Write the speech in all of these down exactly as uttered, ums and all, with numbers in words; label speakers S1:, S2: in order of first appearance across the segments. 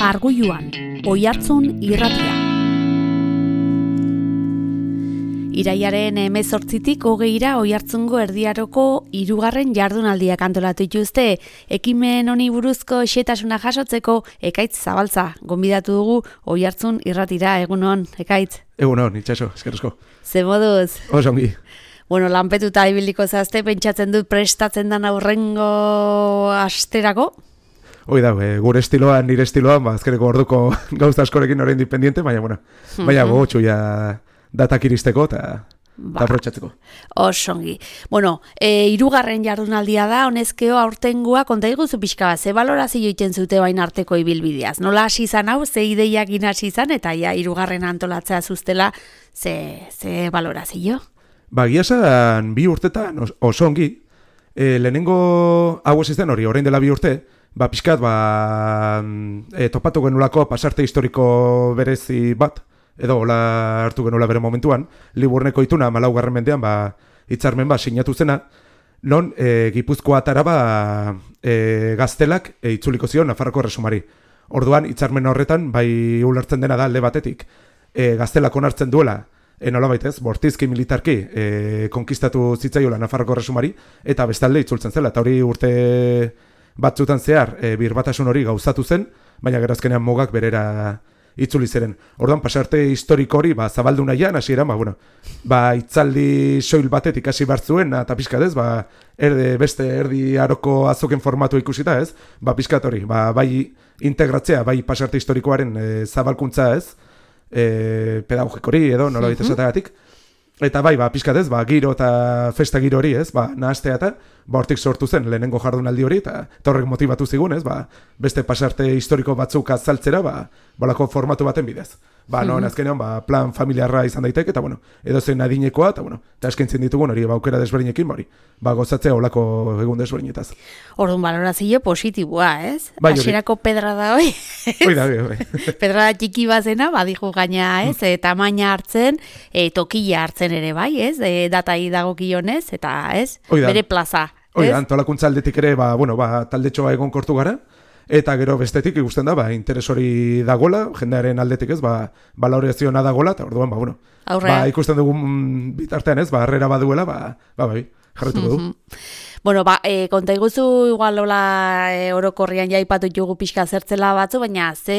S1: Arguiluan, Oihartzun irratia. Iraiaren hemezortzitik hogeira Oihartzungo erdiaroko hirugarren jardunaldiak antolatu dituzte. Ekimen honi buruzko xehetasuna jasotzeko Ekaitz Zabaltza gonbidatu dugu Oihartzun irratira. Egunon, Ekaitz.
S2: Egunon, itxaso, eskerrezko.
S1: Ze moduz?
S2: Oso ongi.
S1: Bueno, lanpetuta ibiliko zazte, pentsatzen dut prestatzen dan aurrengo asterako?
S2: Hoi da, e, gure estiloan, nire estiloan, ba, azkeneko orduko gauza askorekin orain independiente, baina, bueno, baina
S1: Mhm.
S2: gogotxu ja datak iristeko eta
S1: Ba.
S2: aprotxatzeko.
S1: Osongi. Bueno, e, irugarren jardunaldia da, honezkeo aurtengua, konta iguzu pixka bat, ze balorazio iten zute bain arteko ibilbideaz. Nola hasi izan hau, ze ideiak hasi izan, eta ja, irugarren antolatzea zuztela, ze, ze balorazio?
S2: Ba, giasan bi urtetan os- oso ongi, e, lehenengo hau ez izan hori, orain dela bi urte, ba, pixkat, ba, e, topatu genulako pasarte historiko berezi bat, edo hola hartu genuela bere momentuan, Liburnego ituna malaugarren mendean, ba, hitzarmen ba, sinatu zena, non e, Gipuzkoa atara ba, e, gaztelak e, itzuliko zion Nafarroko Erresumari. Orduan, hitzarmen horretan, bai ulertzen dena da alde batetik, e, gaztelak onartzen duela, e, nola baitez, bortizki militarki e, konkistatu zitzaiola Nafarroko Erresumari, eta bestalde itzultzen zela, eta hori urte batzutan zehar e, birbatasun hori gauzatu zen, baina gerazkenean mogak berera itzuli ziren. Orduan, pasarte historiko hori, ba, zabaldu nahian, hasieran, ba, bueno, ba, itzaldi soil batetik hasi bartzuen, eta pixkat ez, ba, erde, beste erdi aroko azoken formatu ikusita ez, ba, pixkat hori, ba, bai integratzea, bai pasarte historikoaren e, zabalkuntza ez, e, pedagogikori edo, nola baita esatagatik, eta bai, ba, pixkat ez, ba, giro eta festa giro hori ez, ba, nahastea eta, ba, hortik sortu zen lehenengo jardunaldi hori, eta eta horrek motibatu zigun ez, ba, beste pasarte historiko batzuk azaltzera, ba, balako formatu baten bidez. Ba, no, azkenean, ba, plan familiarra izan daiteke, eta, bueno, edo zen adinekoa, eta, bueno, eta eskaintzen ditugun hori, ba, aukera desberdinekin, hori, ba, gozatzea olako egun desberdinetaz.
S1: Orduan balorazio positiboa, ez?
S2: Bai, hori.
S1: Hasierako pedra da hoi.
S2: Hoi da, bai, bai.
S1: Pedra txiki bazena, badijo gaina, ez? E, tamaina hartzen, e, tokila hartzen ere bai, ez? E, datai dagokionez, eta, ez?
S2: Hoi da.
S1: Bere plaza,
S2: Hoi
S1: ez?
S2: da, antolakuntza aldetik ere, ba, bueno, ba, taldetxoa egon kortu gara, eta gero bestetik ikusten da, ba, interes hori dagola, jendearen aldetik ez, ba, balorazioa dagola, eta orduan, ba, bueno,
S1: Aurrea.
S2: ba, ikusten dugun bitartean ez, ba, harrera baduela, ba, ba, bai, jarretuko du.
S1: Bueno, ba, e, konta iguzu, igual hola e, orokorrian jaipatu jugu pixka zertzela batzu, baina ze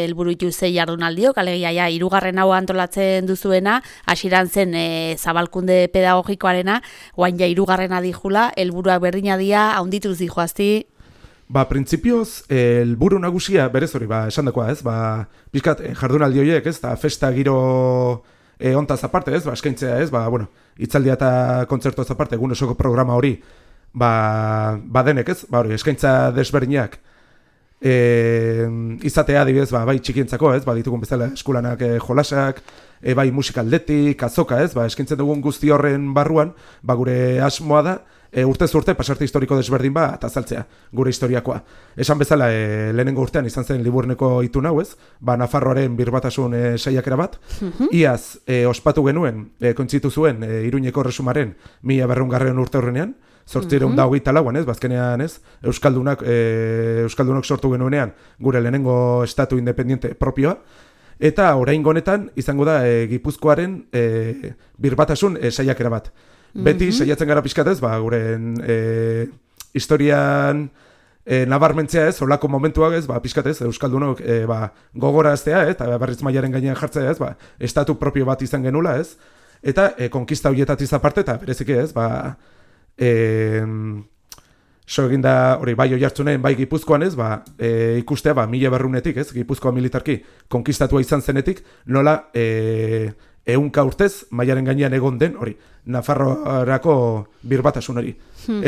S1: helburu ditu ze jardunaldiok, alegia ja, hirugarren hau antolatzen duzuena, hasieran zen e, zabalkunde pedagogikoarena, oain ja hirugarrena dijula, helburuak berdina dia, haundituz dijoazti.
S2: Ba, printzipioz, helburu nagusia, berez hori, ba, esan dakoa, ez, ba, pixkat, eh, jardunaldi horiek, ez, eta festa giro eh, ontaz aparte, ez, ba, eskaintzea, ez, ba, bueno, itzaldia eta kontzertoz aparte, egun osoko programa hori, ba, ba denek, ez, ba, hori, eskaintza desberdinak, e, izatea, adibidez, ba, bai txikientzako, ez, ba, ditugun bezala eskulanak e, jolasak, e, bai musikaldetik, azoka, ez, ba, eskaintzen dugun guzti horren barruan, ba, gure asmoa da, E, urtez urte pasarte historiko desberdin ba eta azaltzea gure historiakoa. Esan bezala e, lehenengo urtean izan zen Liburneko itun hau ez, ba Nafarroaren birbatasun e, saiakera bat. Iaz e, ospatu genuen, e, kointzitu zuen e, Iruñeko Erresumaren mila berrehungarren urte horrenean, zortziehun eta hogeita lauan ez, bazkenean ez, Euskaldunak, e, Euskaldunok sortu genuenean gure lehenengo estatu independiente propioa. Eta oraingo honetan izango da e, Gipuzkoaren e, birbatasun e, saiakera bat. Beti, mm-hmm. saiatzen gara pixkatez, ba, guren e, historian e, nabarmentzea ez, olako momentuak ez, ba, pixkatez, Euskaldunok e, ba, gogoraztea, ez, eta berriz mailaren gainean jartzea ez, ba, estatu propio bat izan genula ez, eta e, konkista horietatiz aparte, eta bereziki ez, ba, e, so eginda, hori, bai Oihartzunen, bai Gipuzkoan ez, ba, e, ikustea, ba, mila berrunetik ez, Gipuzkoa militarki konkistatua izan zenetik, nola, e, ehunka urtez, mailaren gainean egon den, hori, Nafarroarako birbatasun hori.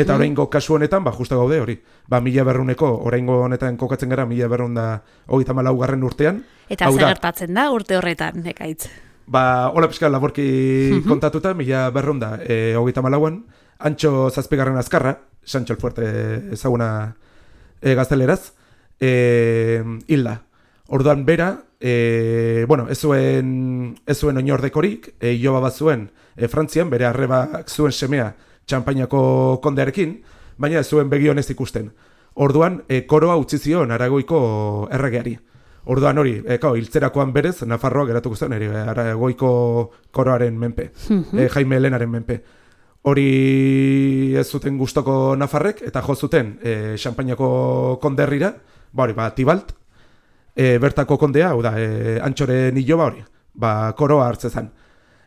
S2: Eta oraingo kasu honetan, ba, justa gaude hori. Ba, mila berruneko, oraingo honetan kokatzen gara, mila berrun da hogeita hamalaugarren urtean.
S1: Eta zer gertatzen da urte horretan, Ekaitz?
S2: Ba, hola pixka laborki kontatuta, mila berrun da e, hogeita hamalauan, Antxo zazpigarren azkarra, Sancho el Fuerte ezaguna e, gazteleraz, e, hilda. Orduan bera, e, bueno, ez zuen, ez zuen oinordekorik, e, iloba bat zuen e, Frantzian, bere arrebak zuen semea Txanpainako kondearekin, baina ez zuen begionez ikusten. Orduan, e, koroa utzi zion Aragoiko erregeari. Orduan hori, e, kao, hiltzerakoan berez, Nafarroa geratuko zen, eri, Aragoiko koroaren menpe, mm-hmm. e, Jaime Helenaren menpe. Hori ez zuten gustoko Nafarrek, eta jo zuten e, Xanpainako konderrira, ba hori, ba, Tibalt, e, bertako kondea, hau da, e, Antxoren iloba hori, ba, koroa hartzezan.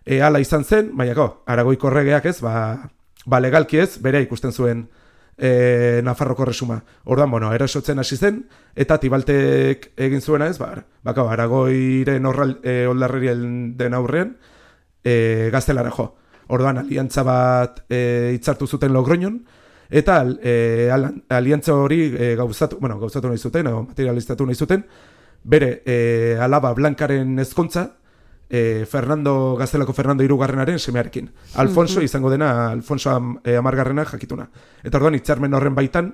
S2: E, ala izan zen, baina go, Aragoiko erregeak ez, ba, ba legalki ez, bere ikusten zuen E, Nafarroko resuma. Orduan, bueno, erasotzen hasi zen, eta Tibaltek egin zuena ez, ba, baka, Aragoiren e, oldarrerien den aurrean, e, gaztelara jo. Orduan, aliantza bat e, hitzartu zuten Logroñon, eta e, aliantza hori e, gauzatu, bueno, gauzatu nahi zuten, o, materializatu nahi zuten, bere e, alaba Blankaren ezkontza, E, Fernando, gaztelako Fernando hirugarrenaren semearekin. Alfonso izango dena, Alfonso am, e, amargarrena jakituna. Eta orduan, hitzarmen horren baitan,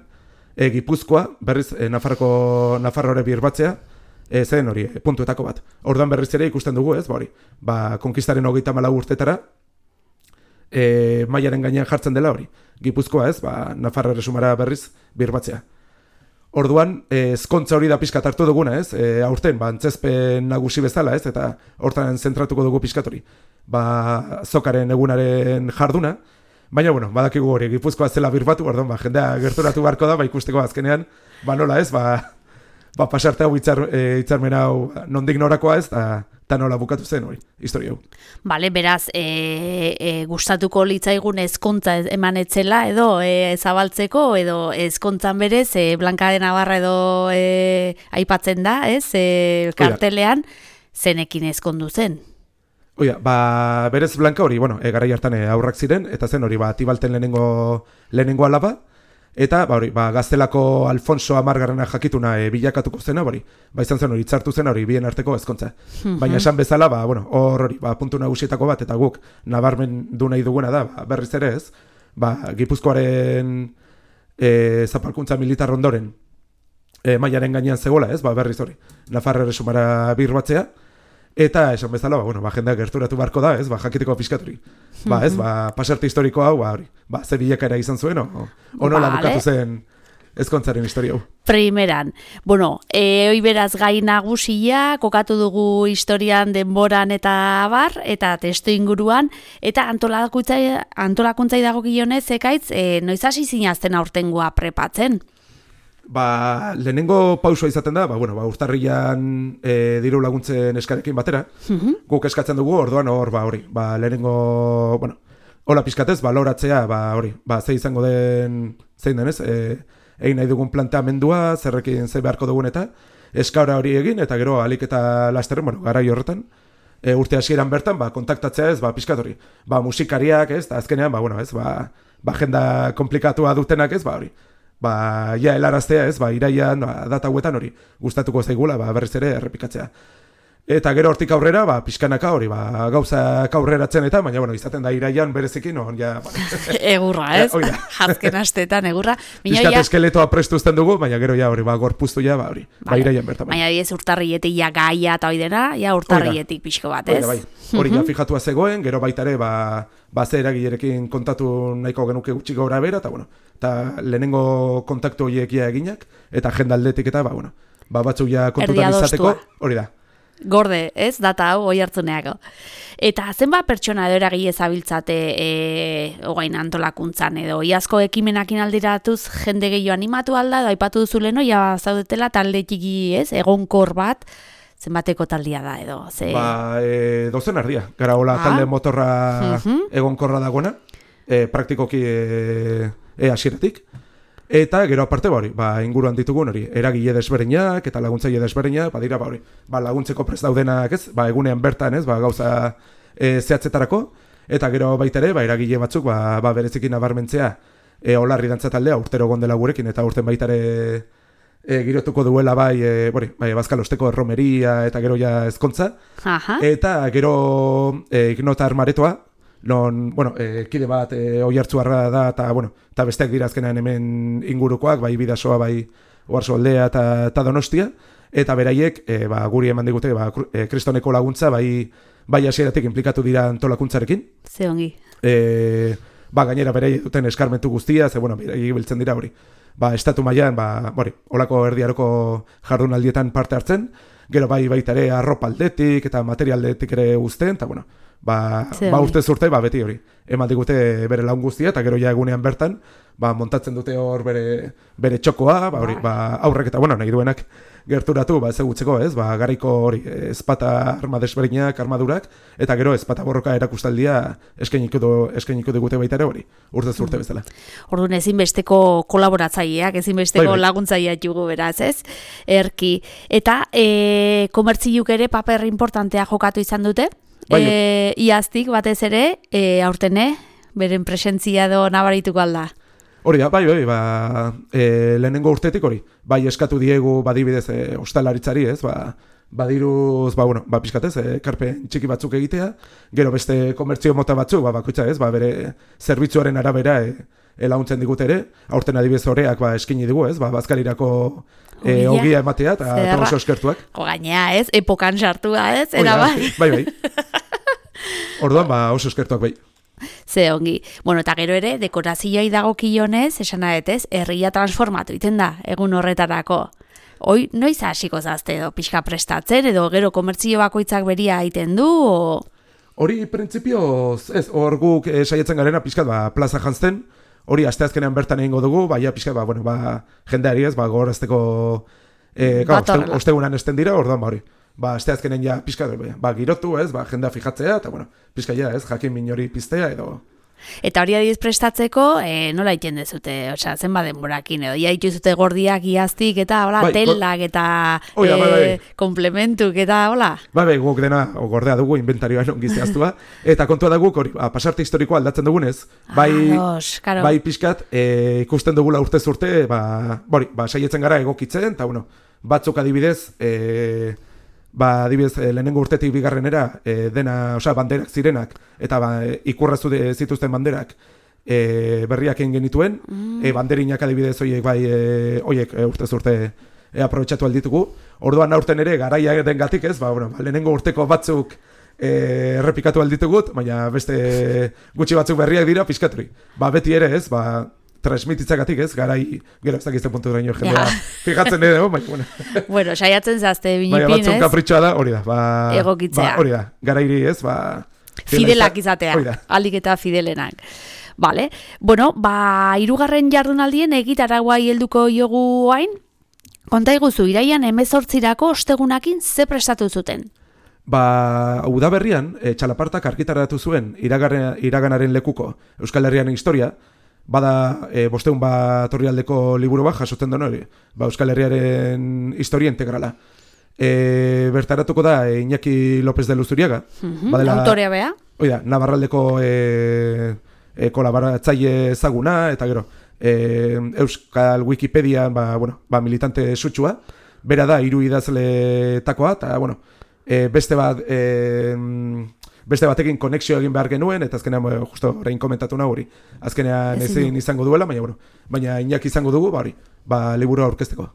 S2: e, Gipuzkoa, berriz, e, Nafarroko, Nafarrore birbatzea, e, zen hori, e, puntuetako bat. Orduan berriz ere ikusten dugu, ez, ba hori, ba, konkistaren hogeita malau urtetara, e, mailaren gainean jartzen dela hori. Gipuzkoa, ez, ba, Nafarro resumara berriz birbatzea. Orduan, ezkontza hori da pixkat hartu duguna, ez? E, aurten, ba, antzezpen nagusi bezala, ez? Eta hortan zentratuko dugu pixkat hori. Ba, zokaren egunaren jarduna. Baina, bueno, badakigu hori, Gipuzkoa zela birbatu, orduan, ba, jendea gerturatu beharko da, ba, ikusteko azkenean, ba, nola, ez? Ba, ba pasarte hau hitzar, e, hitzarmen hau nondik norakoa, ez? Ta, ta nola bukatu zen hori, historia hau.
S1: Bale, beraz, e, e, gustatuko litzaigun ezkontza eman etzela edo e, zabaltzeko, edo ezkontzan berez, e, Blanca de Navarra edo e, aipatzen da, ez? E, kartelean, zenekin ezkondu zen.
S2: Oia, ba, berez Blanca hori, bueno, e, garai hartan e, aurrak ziren, eta zen hori, ba, Tibalten lehenengo, lehenengo alaba, eta ba, hori, ba, gaztelako Alfonso amargarrena jakituna e, bilakatuko zena, hori, ba, izan zen hori, itzartu zen hori, bien arteko ezkontza. Mm-hmm. Baina esan bezala, ba, bueno, hor hori, ba, puntu nagusietako bat, eta guk nabarmen du nahi duguna da, ba, berriz ere ez, ba, Gipuzkoaren e, zapalkuntza militar ondoren e, mailaren gainean zegoela, ez, ba, berriz hori, Nafarro resumara birbatzea, eta esan bezala, ba, bueno, ba, jendea gerturatu beharko da, ez, ba, jakiteko pixkaturi. Ba, ez, ba, pasarte historiko hau, ba, hori, ba, zer bilakaera izan zuen, o, o nola vale. Bukatu zen ezkontzaren historia hau.
S1: Primeran, bueno, e, hoi beraz gai nagusia, kokatu dugu historian, denboran eta abar, eta testu inguruan, eta antolakuntzai, antolakuntzai dago gionez, ekaitz, e, noiz hasi zinazten aurtengoa prepatzen?
S2: Ba, lehenengo pausua izaten da, ba, bueno, ba, urtarrian e, diru laguntzen eskarekin batera, mm-hmm. guk eskatzen dugu, orduan hor, ba, hori, ba, lehenengo, bueno, hola pizkatez, baloratzea, ba, hori, ba, ze izango den, zein denez, e, egin nahi dugun planteamendua, zerrekin ze beharko dugun eta, eskaura hori egin, eta gero alik eta lasterren, bueno, garai horretan, e, urte hasieran bertan, ba, kontaktatzea ez, ba, pizkat hori, ba, musikariak ez, eta azkenean, ba, bueno, ez, ba, ba, agenda komplikatua dutenak ez, ba, hori, ba, ja, helaraztea ez, ba, iraian, ba, data hauetan hori, gustatuko zaigula, ba, berriz ere errepikatzea. Eta gero hortik aurrera, ba, pixkanaka hori, ba, gauzak aurreratzen eta, baina, bueno, izaten da iraian berezikin, on, ja, ba.
S1: Egurra, ez? Ja, Jazken astetan, egurra.
S2: Piskat ja... eskeletoa prestuzten dugu, baina gero ja, hori, ba, gorpuztu ja, ba, hori, vale. Ba, iraian bertan.
S1: Baina, diez, urtarrietik ja gaia eta hori dena, ja, urtarrietik pixko bat, ez?
S2: Oida, bai, hori ja fijatua zegoen, gero baitare, ba, ba, ze eragilerekin kontatu nahiko genuke gutxi gaura bera, eta, bueno, eta lehenengo kontaktu horiek ja eginak, eta agenda aldetik eta, ba, bueno, ba, batzuk ja kontutan izateko, hori da.
S1: Gorde, ez? Data hau, oi hartzuneako. Eta zenbat pertsona edo eragile zabiltzate e, ogain antolakuntzan edo iazko ekimenakin aldiratuz jende gehiago animatu alda, edo aipatu duzu leno, ja zaudetela talde txiki, ez? Egonkor bat, zenbateko taldia da edo? Ze...
S2: Ba, e, dozen ardia. Gara hola ah. talde motorra uh-huh. egonkorra dagoena, e, praktikoki e, e hasieratik. Eta gero aparte ba hori, ba inguruan ditugun hori, eragile desberdinak eta laguntzaile desberdinak, badira ba hori, ba laguntzeko prest daudenak, ez? Ba egunean bertan, ez? Ba gauza e, zehatzetarako eta gero baita ere, ba eragile batzuk ba, ba berezikin nabarmentzea, e, Olarri dantza taldea urtero gondela gurekin eta urten baita ere e, girotuko duela bai, e, bori, bai Bazkalosteko erromeria eta gero ja ezkontza. Aha. Eta gero e, Ignota Armaretoa non, bueno, e, kide bat e, oihartzuarra da, eta, bueno, eta besteak dira azkenean hemen ingurukoak, bai Bidasoa, bai Oarsoaldea eta, eta Donostia, eta beraiek, e, ba, guri eman digute, ba, e, kristoneko laguntza, bai, bai hasieratik inplikatu dira antolakuntzarekin.
S1: Ze ongi.
S2: E, ba, gainera beraiek duten eskarmentu guztia, ze, bueno, beraiek biltzen dira hori. ba, estatu mailan, ba, bori, olako erdiaroko jardunaldietan parte hartzen, gero bai baita ere arropa aldetik eta material aldetik ere uzten, eta bueno, ba, ba urte zurte, ba, beti hori, eman digute bere lagun guztia, eta gero ja egunean bertan, ba, montatzen dute hor bere, bere txokoa, ba, hori, ba, aurrek eta, bueno, nahi duenak gerturatu, ba, ezagutzeko, ez, ba, garaiko hori, ezpata arma desberdinak, armadurak, eta gero ezpata borroka erakustaldia eskainiko du, eskainiko digute baita ere hori, urte zurte bezala.
S1: Orduan ezinbesteko kolaboratzaileak, ezinbesteko
S2: bai, bai.
S1: laguntzaileak jugu beraz, ez? Erki. Eta e, komertziuk ere paper importantea jokatu izan dute,
S2: Bai.
S1: e, iaztik batez ere, e, aurtene, beren presentzia do nabarituko alda.
S2: Hori da, bai, bai, ba, e, lehenengo urtetik hori, bai eskatu diegu badibidez e, ostalaritzari, ez, ba, badiruz, ba, bueno, ba, pixkatez, e, karpen txiki batzuk egitea, gero beste komertzio mota batzuk, ba, bakoitza ez, ba, bere zerbitzuaren arabera e, e, laguntzen digute ere, aurten adibidez horreak, ba, eskini digu, ez, ba, bazkarirako e, ogia ematea, eta oso eskertuak.
S1: Jo, gainea, ez, epokan sartua, ez, era bai.
S2: Bai, bai. Orduan, ba, oso eskertuak bai.
S1: Ze ongi. Bueno, eta gero ere, dekorazioai dagokionez, esan adetez, herria transformatu iten da, egun horretarako. Hoi, noiz hasiko zazte edo pixka prestatzen, edo gero komertzio bakoitzak beria egiten du, o...
S2: Hori, printzipioz, ez, hor guk e, saietzen garena pixkat, ba, plaza jantzten, hori asteazkenean bertan egingo dugu, baina pixkat, ba, bueno, ba, jendeari ez, ba, gogorazteko, e, oste, ostegunan esten dira, orduan, ba, hori. Ba, asteazkenen ja pixka, ba, girotu, ez, ba, jendea fijatzea, eta, bueno, pixka ja, ez, jakin minori piztea, edo...
S1: Eta hori adiz prestatzeko, e, nola iten dezute, osea, zenba denborakin, edo, ia dituzute gordiak iaztik, eta, hola, bai, telak, eta
S2: oh, ja, bai, bai.
S1: komplementuk, eta, hola.
S2: Bai, bai, guk dena, gordea dugu, inventarioan ongi zehaztua, eta kontua da guk, hori, ba, pasarte historikoa aldatzen dugunez, bai,
S1: Ados, karo.
S2: bai pixkat, e, ikusten dugula urtez urte, ba, bori, ba, saietzen gara egokitzen, eta, bueno, batzuk adibidez, e, ba, adibidez, lehenengo urtetik bigarrenera, e, dena, osea, banderak zirenak, eta ba, ikurrazu zituzten banderak e, berriak egin genituen, mm. e, banderinak adibidez horiek, bai, e, horiek e, urtez urte e, aprobetxatu alditugu. Orduan aurten ere, garaia den gatik ez, ba, bueno, ba, lehenengo urteko batzuk e, errepikatu alditugut, baina beste gutxi batzuk berriak dira, pixkaturi. Ba, beti ere ez, ba, transmititzagatik ez, garai, gero ez dakizten puntu duraino jendea, fijatzen edo, baina, bueno.
S1: Bueno, saiatzen zazte binipin, ez?
S2: Baina batzun kapritxoa da, hori da, ba...
S1: Egokitzea.
S2: Ba, hori da, garairi ez, ba...
S1: Fidelak izatea, alik eta fidelenak. Vale, bueno, ba, hirugarren jardunaldien egitaraguai helduko jogu hain, konta iguzu, iraian hemezortzirako ostegunakin ze prestatu zuten?
S2: Ba, udaberrian, e, txalapartak argitaratu zuen iragarren, iraganaren lekuko Euskal Herriaren historia, bada e, bosteun bat orrialdeko liburu bat jasotzen den hori, ba, Euskal Herriaren historia integrala. E, bertaratuko da e, Iñaki López de Luzuriaga.
S1: Mm-hmm, badela, autorea bea.
S2: Oida, Navarraldeko e, e, kolaboratzaile ezaguna, eta gero, e, Euskal Wikipedian ba, bueno, ba, militante sutsua, bera da hiru idazletakoa, eta bueno, e, beste bat... E, beste batekin konexio egin behar genuen, eta azkenean, justo orain komentatu nahi hori, azkenean ezin izango duela, baina, bueno, baina Iñaki izango dugu, ba hori, ba, liburua aurkezteko.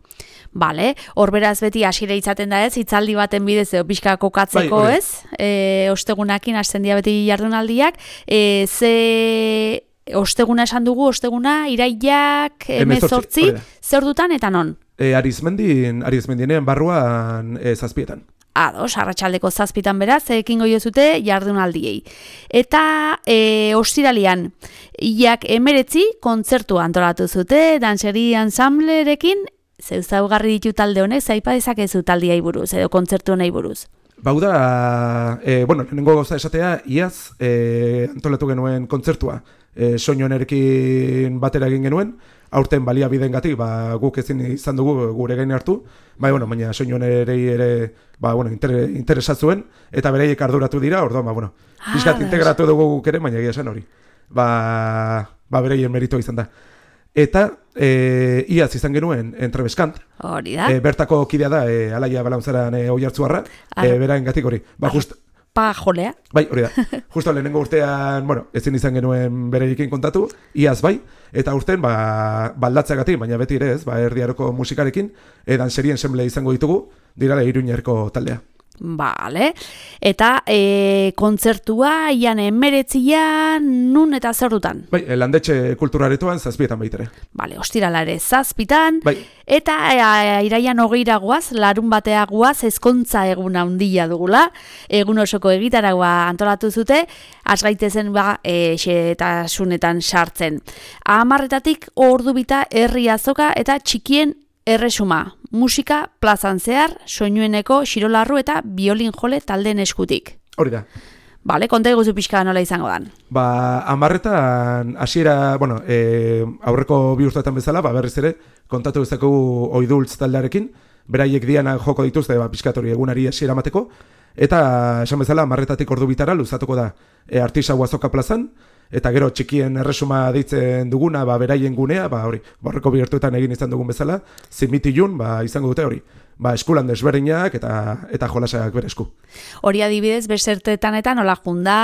S1: Bale, hor beraz beti hasiera izaten da ez, hitzaldi baten bidez edo pixka kokatzeko bai, ez, e, ostegunakin hasten dira beti jardunaldiak, e, ze osteguna esan dugu, osteguna, iraiak, hemezortzi, ze ordutan eta non?
S2: E, Arizmendin, Arizmendinen barruan e, zazpietan.
S1: Ados, arratsaldeko zazpitan beraz, ekingo jozute jardunaldiei. Eta e, ostiralian, iak emeretzi kontzertu antolatu zute, danseri ansamblerekin, zeu zaugarri ditu talde honek, zaipa dezakezu taldiai buruz, edo kontzertu honei buruz.
S2: Bauda, e, bueno, lehenengo gauza esatea, iaz e, antolatu genuen kontzertua, e, soinuanerekin batera egin genuen, aurten baliabidengatik, ba, guk ezin izan dugu gure gain hartu, bai, bueno, baina soinuanerei ere, ba, bueno, inter, interesatzuen, eta bereiek arduratu dira, orduan, ba, bueno, pixkat ah, integratu dugu guk ere, baina egia esan hori. Ba, ba bereien merito izan da. Eta, e, iaz izan genuen entrebeskant.
S1: Hori da.
S2: E, bertako kidea da, e, Alaia Balaunzaran e, oihartzuarra, e, beraen gatik hori. Ba, just...
S1: Pa jolea.
S2: Bai, hori da. Justo lehenengo urtean, bueno, ezin izan genuen bereikin kontatu, iaz bai, eta urten, ba, baldatzeagatik, baina beti ere ez, ba, erdiaroko musikarekin, edan serien ensemble izango ditugu, dirala Iruñerko taldea.
S1: Bale, eta e, kontzertua ian emeretzian nun eta zer dutan?
S2: Bai, landetxe kulturaretoan zazpietan baitere.
S1: Bale, ostirala ere zazpitan,
S2: bai.
S1: Eta e, iraian hogeira guaz, larun batea guaz, ezkontza egun handia dugula, egun osoko egitaragua antolatu zute, asgaitezen ba, e, xetasunetan sartzen. Amarretatik ordu bita herri azoka eta txikien erresuma, musika plazan zehar, soinueneko xirolarru eta biolin jole taldeen eskutik.
S2: Hori da.
S1: Bale, konta eguzu pixka nola izango dan.
S2: Ba, amarretan, hasiera, bueno, e, aurreko bi urteetan bezala, ba, berriz ere, kontatu bezakegu oidultz taldearekin, beraiek diana joko dituzte, ba, pixkatori egunari hasiera mateko, eta esan bezala, amarretatik ordu bitara luzatuko da e, Artisau azoka plazan, eta gero txikien erresuma deitzen duguna, ba, beraien gunea, ba, hori, borreko bihurtuetan egin izan dugun bezala, zimitilun, ba, izango dute hori, ba, eskulan desberdinak eta eta jolasak bere esku.
S1: Hori adibidez, besertetan eta nola junda,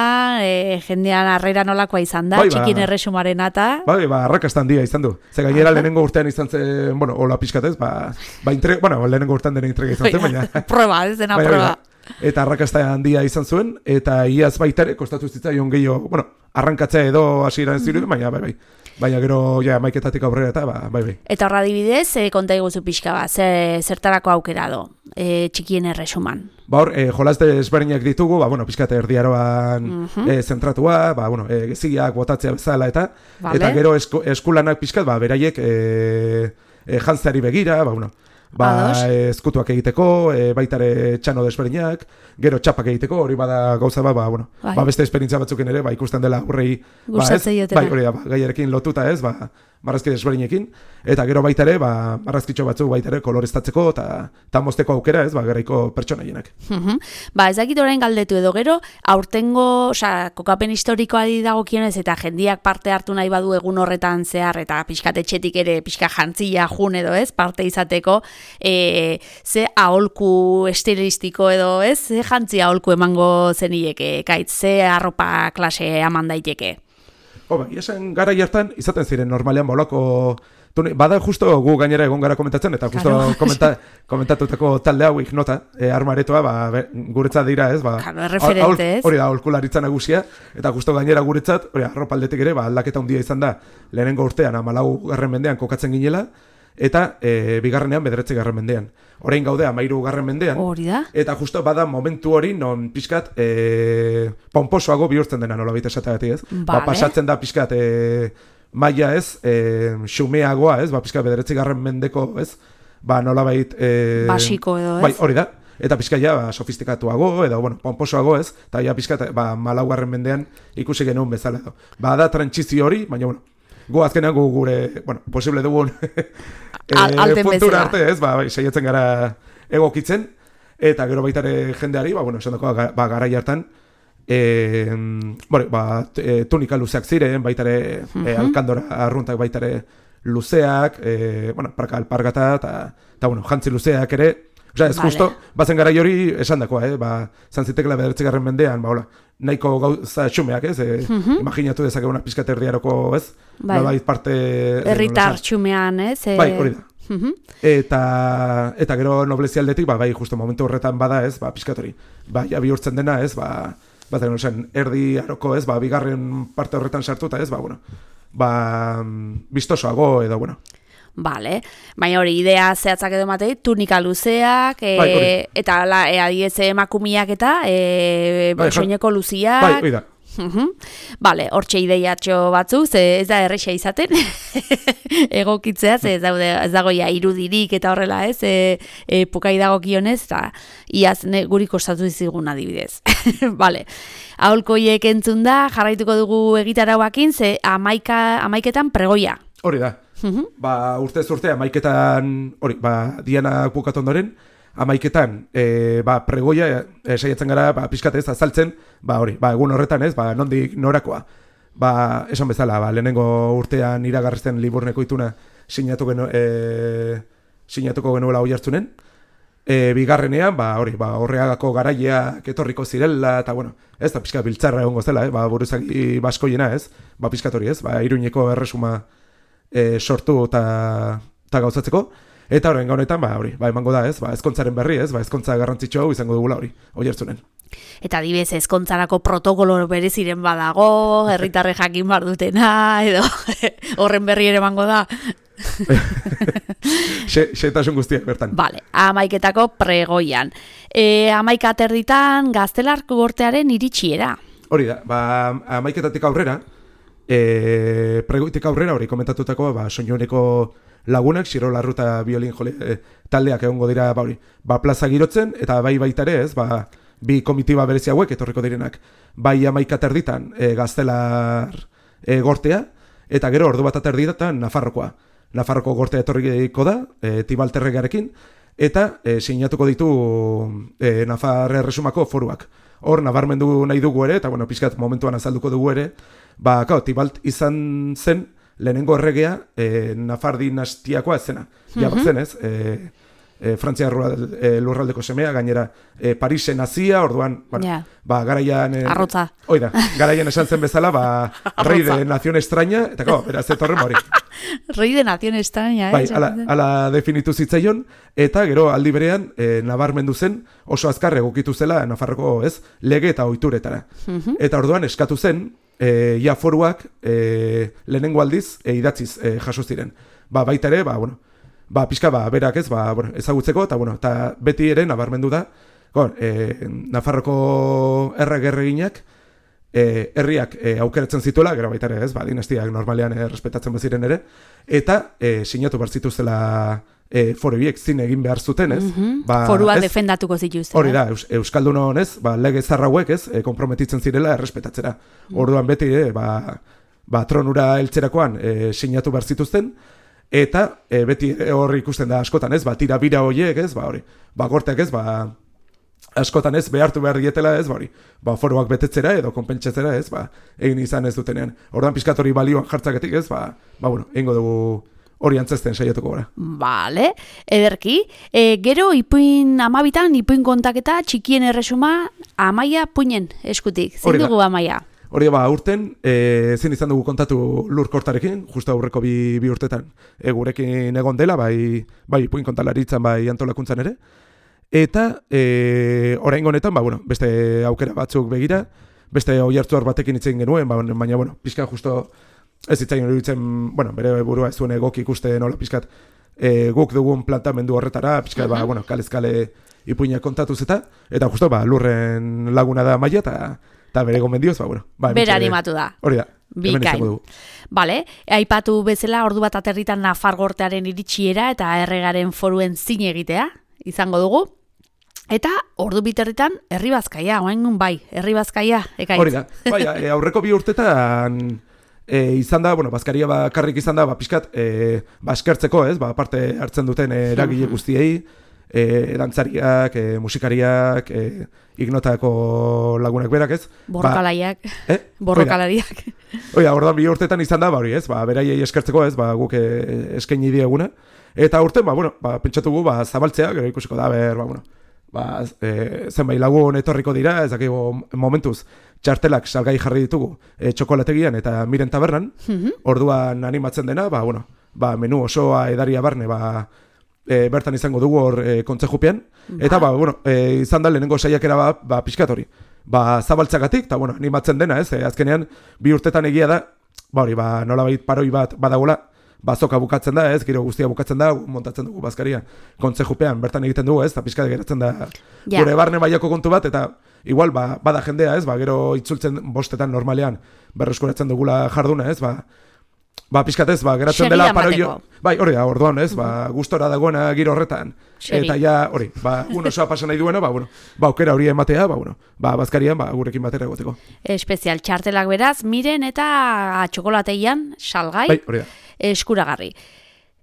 S1: e, jendean arrera nolakoa izan da,
S2: bai,
S1: txikien
S2: ba,
S1: erresumaren eta...
S2: Bai, ba, arrakastan dia izan du. Ze gainera lehenengo urtean izan zen, bueno, hola pixkatez, ba, ba intre, bueno, lehenengo urtean dena intrega izan zen, baina...
S1: Proba, ez dena
S2: bai,
S1: proba.
S2: Bai, eta arrakasta handia izan zuen, eta iaz baita ere, kostatu zitzaion gehiago, bueno, arrankatzea edo hasieran ez dirudi, baina bai, bai. Baina gero, ja, maiketatik aurrera eta, ba, bai, bai.
S1: Eta horra adibidez, e, konta iguzu pixka ba, ze, zertarako aukera do, e, txikien erresuman. Ba
S2: hor, e, jolaz desberdinak ditugu, ba, bueno, pixkate erdiaroan uh -huh. e, zentratua, ba, bueno, e, geziak, botatzea bezala, eta vale. Eta gero esku, eskulanak pixkat, ba, beraiek e, e, jantzeari begira, ba, bueno, ba, ezkutuak egiteko, e, baitare txano desberdinak, gero txapak egiteko, hori bada gauza ba, ba, bueno, bai. Ba, beste esperientzia batzuken ere, ba, ikusten dela aurrei, ba, ez, bai, hori da, ba, gaiarekin lotuta ez, ba, marrazki desberdinekin, eta gero baitare, ba, marrazkitxo batzuk baitare koloreztatzeko, eta ta mozteko aukera ez, ba, garaiko pertsonaienak.
S1: Uh-huh. Ba, ez dakit orain galdetu edo gero, aurtengo, oza, kokapen historikoari dagokionez, eta jendiak parte hartu nahi badu egun horretan zehar, eta pixkatetxetik ere, pixka jantzia jun edo ez, parte izateko, E, ze aholku estilistiko edo ez, ze jantzi aholku emango zenieke, kaitz, ze arropa klase eman daiteke?
S2: Ho, ba, iasen gara hartan izaten ziren normalean bolako, bada justo gu gainera egon gara komentatzen, eta justo claro. komenta, komentatutako talde hau ignota, e, armaretoa, ba, be, guretzat dira ez, ba,
S1: claro, referente ez.
S2: Hori da, aholkularitza nagusia, eta justo gainera guretzat, hori arropa aldetik ere, ba, aldaketa handia izan da, lehenengo urtean, amalau garren mendean kokatzen ginela, eta e, bigarrenean bederatzi garren mendean. Orain gaude amairu garren mendean.
S1: Hori da.
S2: Eta justo bada momentu hori non pixkat e, pomposoago bihurtzen dena nola baita esateagatik ez. Vale. Ba, pasatzen da pixkat e, maila ez, e, xumeagoa ez, ba, pixkat bederatzi garren mendeko ez, ba nola bait... E,
S1: basiko edo ez.
S2: Bai, hori da. Eta pixka ja, ba, sofistikatuago, edo, bueno, pomposoago ez, eta ja pixka, ba, malau garren mendean ikusi genuen bezala edo. Ba, da trantsizio hori, baina, bueno, gu azkenean gu gure, bueno, posible dugun e, puntura arte, ez, ba, bai, saiatzen gara egokitzen, eta gero baitare jendeari, ba, bueno, esan dako, ba, garai hartan, e, bueno, ba, e, tunika luzeak ziren, baitare uh-huh. e, alkandora arruntak baitare luzeak, e, bueno, parka alpargata, eta, bueno, jantzi luzeak ere, osea, ez vale. Justo, bazen garai hori esan dakoa, eh, ba, zantzitekela bederatzigarren mendean, ba, hola, nahiko gauza xumeak, ez? E, uh-huh. Imaginatu dezakeguna pizkat herriaroko, ez? Bai. Nolabait parte...
S1: Herritar xumean, ez? E...
S2: Bai, hori da. Uh-huh. Eta, eta gero noblezia aldetik, ba, bai, justo momentu horretan bada, ez? Ba, pizkat hori. Ba, ja bihurtzen dena, ez? Ba, ba, zen, erdi aroko, ez? Ba, bigarren parte horretan sartuta, ez? Ba, bueno, ba, bistosoago edo, bueno...
S1: Vale, baina hori idea zehatzak edo matei, tunika luzeak, e, bai, eta la, e, adiez emakumiak eta e, bai, soineko luziak.
S2: Bai, hori da.
S1: Uh-huh. Vale, hortxe ideiatxo batzu, ze ez da erresa izaten, egokitzea, ze ez, daude, ez dagoia irudirik eta horrela ez, e, e, pukai dagokionez, eta iaz ne, guri kostatu dizigun adibidez. Vale, aholkoiek entzun da, jarraituko dugu egitarauakin, ze amaika, amaiketan pregoia.
S2: Hori da. Uh-huh. Ba, urtez urte, amaiketan, hori, ba, diana bukatu ondoren, amaiketan, e, ba, pregoia, e, saiatzen gara, ba, pixkatez, azaltzen, ba, hori, ba, egun horretan ez, ba, nondik norakoa. Ba, esan bezala, ba, lehenengo urtean iragarrizten liburneko ituna sinatu genu, e, sinatuko genuela hoi hartzunen. E, bigarrenean, ba, hori, ba, horreagako garaileak etorriko zirela, eta, bueno, ez da pixka biltzarra egongo zela, eh? Ba, buruzagi baskoiena, ez? Ba, pixkat hori, ez? Ba, Iruñeko erresuma E, sortu eta gauzatzeko. Eta horren honetan, ba, hori, ba, emango da, ez, ba, ezkontzaren berri, ez, ba, ezkontza garrantzitsu hau izango dugula hori, Oiertzunen.
S1: Eta adibidez ezkontzarako protokolo bereziren badago, herritarre jakin bar dutena, edo horren berri ere emango da.
S2: Xetasun guztiak bertan.
S1: Vale, amaiketako pregoian. E, amaika aterditan Gaztelarko gortearen iritsiera.
S2: Hori da, ba, amaiketatik aurrera, e, pregoitik aurrera, hori komentatutako, ba, soinuneko lagunak, Xirolarru eta biolin jole, e, taldeak egongo dira, ba, hori, ba, plaza girotzen, eta bai baitare ez, ba, bi komitiba berezi hauek etorriko direnak, bai amaika aterditan e, Gaztelar e, gortea, eta gero ordu bat aterditan Nafarrokoa. Nafarroko gortea etorriko da, e, Tibalterregarekin, eta e, sinatuko ditu e, Nafar Erresumako foruak. Hor, nabarmendu nahi dugu ere, eta bueno, pixkat momentuan azalduko dugu ere, ba, kao, Tibalt izan zen lehenengo erregea e, Nafar dinastiakoa ez zena. Ja, bat zen ez, e, e, Frantzia e, lurraldeko semea, gainera e, Parisen hazia, orduan, bueno, yeah. ba, garaian... E,
S1: Arrotza.
S2: Oida, garaian esan zen bezala, ba, rei de nación extraña, eta kao, beraz, etorren hori.
S1: Rei de nación extraña, eh?
S2: Bai, ala, ala definitu zitzaion, eta gero aldi berean e, nabarmendu zen oso azkar egokitu zela Nafarroko ez, lege eta ohituretara. Uh-huh. Eta orduan eskatu zen, e, ja foruak e, lehenengo aldiz e, idatziz e, jaso ziren. Ba, baita ere, ba, bueno, ba, pixka, ba, berak ez, ba, bueno, ezagutzeko, eta, bueno, eta beti ere nabarmendu da, gon, e, Nafarroko erregerreginak, E, herriak e, aukeratzen zituela, gero baita ere ez, ba, dinastiak normalean e, respetatzen baziren ere, eta e, sinatu behar zituztela e, forubiek zin egin behar zuten, ez?
S1: Mm-hmm.
S2: Ba,
S1: Forua
S2: ez?
S1: defendatuko zituzten.
S2: Hori da, Eus, Euskaldun honez, ba, lege zarrauek ez, e, konprometitzen zirela errespetatzera. Mm. Orduan beti, e, ba, ba, tronura heltzerakoan e, sinatu behar zituzten, eta e, beti hor ikusten da askotan, ez? Ba, tira bira horiek, ez? Ba, hori, ba, gorteak ez, ba, askotan ez, behartu behar dietela ez, bari, ba, foruak betetzera edo konpentsatzera ez, ba, egin izan ez dutenean. Orduan pixkat hori balioan jartzaketik ez, ba, ba bueno, egingo dugu hori antzesten saiatuko gara.
S1: Vale, ederki. E, gero, ipuin amabitan, ipuin kontaketa, txikien erresuma, Amaia puinen eskutik. Zein dugu Amaia?
S2: Hori ba, urten, e, zin izan dugu kontatu Lur Kortarekin, justu aurreko bi, bi urtetan, e, gurekin egon dela, bai, bai ipuin kontalaritzan, bai antolakuntzan ere. Eta e, orain honetan, ba, bueno, beste aukera batzuk begira, beste oihartzuar batekin hitz egin genuen, ba, baina, bueno, pixka justo ez hitzaien iruditzen, bueno, bere burua ez zuen egok ikuste nola pixkat e, guk dugun plantamendu horretara, pixka, uh-huh. ba, bueno, kalez-kale ipuinak kontatuz eta, eta justo, ba, Lurren laguna da Amaia, eta, eta bere gomendioz, ba, bueno. Ba,
S1: bere animatu da.
S2: Hori da.
S1: Bikain. Vale, aipatu bezala ordu bat aterritan Nafar gortearen iritsiera eta erregaren foruen zin egitea, izango dugu. Eta ordu biterritan herri bazkaia, oaingun bai, herri bazkaia, ekaitz. Hori da,
S2: bai, e, aurreko bi urtetan e, izan da, bueno, bazkaria bakarrik izan da, ba, pixkat, e, ba, eskertzeko, ez, ba, parte hartzen duten eragile guztiei, e, dantzariak, e, musikariak, e, ignotako lagunak berak, ez.
S1: Borrokalaiak,
S2: ba, eh?
S1: borrokalariak.
S2: Oida, orduan bi urtetan izan da, ba, hori, ez, ba, beraiei eskertzeko, ez, ba, guk e, eskaini dieguna. Eta urten, ba, bueno, ba, pentsatugu, ba, zabaltzea, gero ikusiko da, ber, ba, bueno, ba, e, zenbait lagun etorriko dira, ez dakigu momentuz txartelak salgai jarri ditugu e, txokolategian eta Miren tabernan, mm-hmm. Orduan animatzen dena, ba, bueno, ba, menu osoa edaria barne, ba, e, bertan izango dugu hor e, kontzejupean, eta ba, bueno, e, izan da lehenengo saiakera ba, ba pixkatori, ba, zabaltzagatik, eta bueno, animatzen dena, ez, e, azkenean bi urtetan egia da, ba hori, ba, nolabait paroi bat badagola, bazoka bukatzen da, ez, giro guztia bukatzen da, montatzen dugu bazkaria kontzejupean, bertan egiten dugu, ez, eta pixka geratzen da ja. Gure barne mailako kontu bat, eta igual, ba, bada jendea, ez, ba, gero itzultzen bostetan normalean berreskuratzen dugula jarduna, ez, ba, ba pixkatez, ba, geratzen dela paroio, bai, hori da, orduan, ez, ba, gustora dagoena giro horretan, Xeri. Eta ja, hori, ba, uno soa pasa nahi duena, ba, bueno, ba, aukera hori ematea, ba, bueno, ba, bazkarian, ba, gurekin batera egoteko.
S1: Espezial, txartelak beraz, Miren eta txokolateian salgai.
S2: Bai, hori da.
S1: Eskuragarri.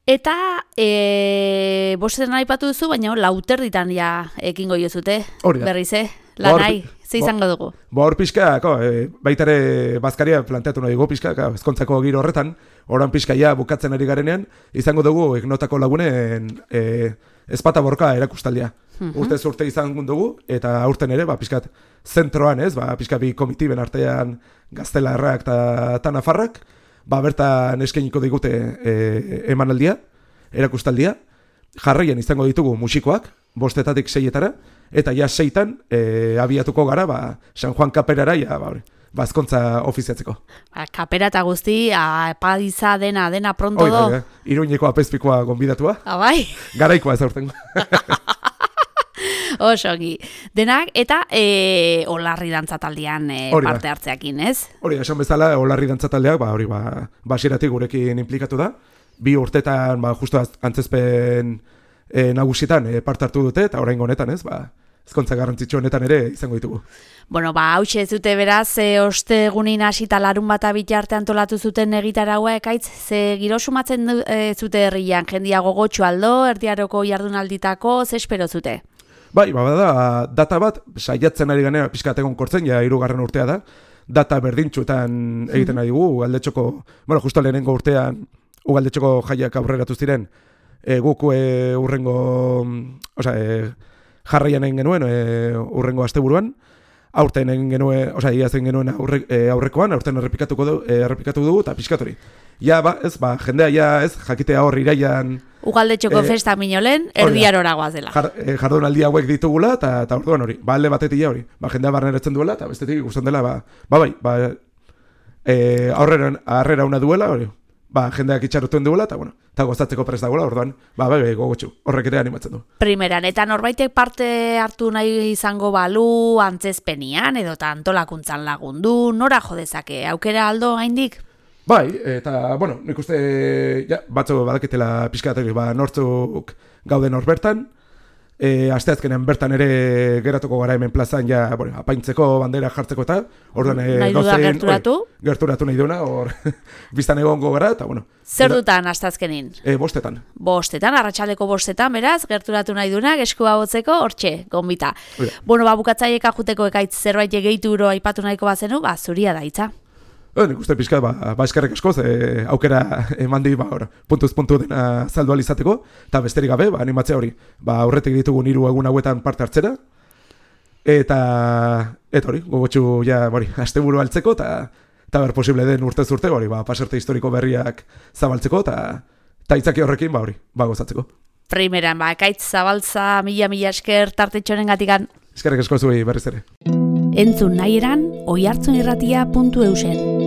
S1: Eta e, bostetan aipatu duzu, baina lauterditan ja ekingo jozute, berrize, lanai, ze izango dugu.
S2: Ba hor pixka, e, baitare bazkaria planteatu nahi dugu pixka, ezkontzako giro horretan, oran pixka ja bukatzen ari garenean, izango dugu ignotako lagunen e, ezpata borka erakustaldia. Uh-huh. Urtez urte izan dugu, eta aurten ere, ba, pixkat zentroan ez, ba, pixka bi komitiben artean Gaztelarrak eta Nafarrak, ba, bertan eskainiko digute e, emanaldia, erakustaldia, jarraian izango ditugu musikoak, bostetatik seietara, eta ja seitan e, abiatuko gara, ba, San Juan kaperara, ja, ba, hori, bazkontza ofiziatzeko.
S1: Ba, kapera eta guzti, apadiza dena, dena pronto
S2: Oi,
S1: do.
S2: bai, Iruñeko apezpikoa gonbidatua.
S1: Abai.
S2: Garaikoa ez aurtengo.
S1: Osongi. Denak, eta e, olarri dantzataldean e,
S2: Hori da.
S1: parte hartzeakin, ez?
S2: Hori, esan bezala, olarri dantzataldeak, ba, hori, ba, basieratik gurekin implikatu da. Bi urtetan, ba, justu antzezpen e, nagusietan e, parte hartu dute, eta oraingo honetan, ez, ba, ezkontza garrantzitsu honetan ere izango ditugu.
S1: Bueno, ba, hautxe zute beraz, e, ostegunin hasita larun bata bitarte antolatu zuten egitaragoa ekaitz, ze giro sumatzen du, e, zute herrian, jendia gogotxu aldo, erdiaroko jardunalditako, ze espero zute?
S2: Bai, ba, da, data bat, saiatzen ari ganera pixkategon kortzen, ja, hirugarren urtea da, data berdintxuetan egiten ari dugu, ugaldetxoko, bueno, justo lehenengo urtean, ugaldetxoko jaiak aurreratu ziren, e, guk e, urrengo, osea, e, jarraian egin genuen, e, urrengo asteburuan, aurten egin genuen, osea, iaz egin genuen aurre, e, aurrekoan, aurten errepikatuko du, e, errepikatu dugu, eta pixkatori. Ja, ba, ez, ba, jendea ja, ez, jakitea hor iraian...
S1: Ugaldetxoko e, festa minolen, erdiarora goazela.
S2: Jar, e, jardunaldi hauek ditugula, eta eta orduan hori, ba, alde batetik hori, ba, jendea barneratzen duela, eta bestetik ikusten dela, ba, ba, bai, ba, e, aurrera, aurrera una duela, hori, ba, jendeak itxarutuen duela, eta, bueno, eta gozatzeko prest dagoela, orduan, ba, bai, bai, gogotxu, horrek ere animatzen du.
S1: Primeran, eta norbaitek parte hartu nahi izango balu, antzezpenian, edo antolakuntzan lagundu, nora jodezake, aukera aldo gaindik?
S2: Bai, eta, bueno, nik uste, ja, batzu badakitela pixkatek, ba, nortzuk gauden hor bertan, e, asteazkenean bertan ere geratuko gara hemen plazan, ja, bueno, apaintzeko, bandera jartzeko eta, orduan, e,
S1: nahi duda gerturatu?
S2: Oi, gerturatu nahi duena, hor, biztan egongo gara, eta, bueno.
S1: Zer dutan asteazkenin?
S2: E, bostetan.
S1: Bostetan, arratsaldeko bostetan, beraz, gerturatu nahi duenak, eskua botzeko, hortxe, gombita.
S2: Oida.
S1: Bueno, ba, bukatzaiek ajuteko ekaitz zerbait gehitu aipatu nahiko bazenu, ba, zuria da hitza.
S2: E, nik uste pixka, ba, ba eskerrek askoz, e, aukera eman di, ba, or, puntuz puntu dena saldu alizateko, eta besterik gabe, ba, animatzea hori, ba, aurretik ditugun hiru egun hauetan parte hartzera, eta, eta hori, gogotxu, ja, hori, asteburu altzeko, eta, eta ber posible den urtez urte, hori, ba, pasarte historiko berriak zabaltzeko, eta, eta itzaki horrekin, ba, hori, ba, gozatzeko.
S1: Primeran, ba, ekaitz zabaltza, mila-mila esker tartetxoren gatikan.
S2: Eskerrek asko zuei berriz ere.
S1: Entzun nahi eran, oihartzunirratia puntu eusen.